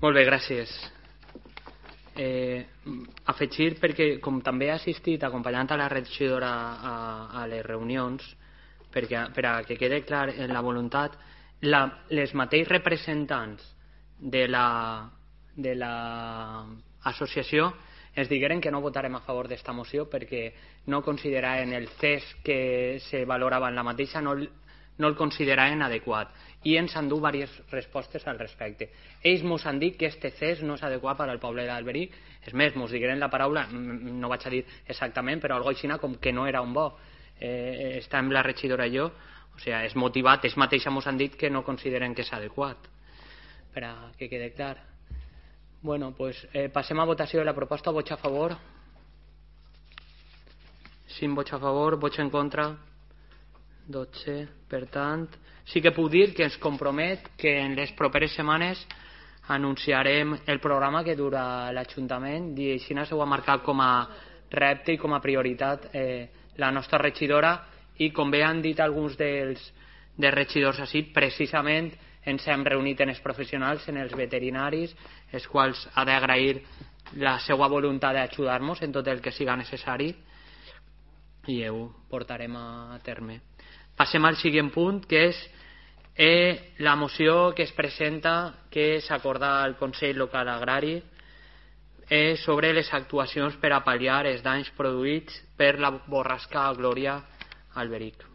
Molt bé, gràcies. Afegir, perquè com també he assistit acompanyant a la regidora a les reunions, per a que quede clar en la voluntat, les mateixos representants de l'associació ens digueren que no votarem a favor d'esta moció perquè no consideraven el CES que se valorava en la mateixa, no el consideraven adequat, i ens han dut diverses respostes al respecte. Ells ens han dit que este CES no és adequat per al poble d'Alberic, és més, ens digueren la paraula, no vaig a dir exactament, però algo així com que no era un bo. Està amb la regidora i jo, o sigui, és motivat, ells mateixos ens han dit que no consideren que és adequat, per a que quede clar. Bueno, pues passem a votació de la proposta. Vots a favor? 5 vots a favor, vots en contra? 12. Per tant, sí que puc dir que ens compromet que en les properes setmanes anunciarem el programa que dura l'Ajuntament, i així s'ho ha marcat com a repte i com a prioritat la nostra regidora, i com bé han dit alguns dels regidors així, precisament ens hem reunit en els professionals, en els veterinaris, els quals ha d'agrair la seva voluntat d'ajudar-nos en tot el que siga necessari, i ho portarem a terme. Passem al següent punt, que és la moció que es presenta, que s'acorda al Consell Local Agrari sobre les actuacions per a pal·liar els danys produïts per la borrasca Glòria a Alberic.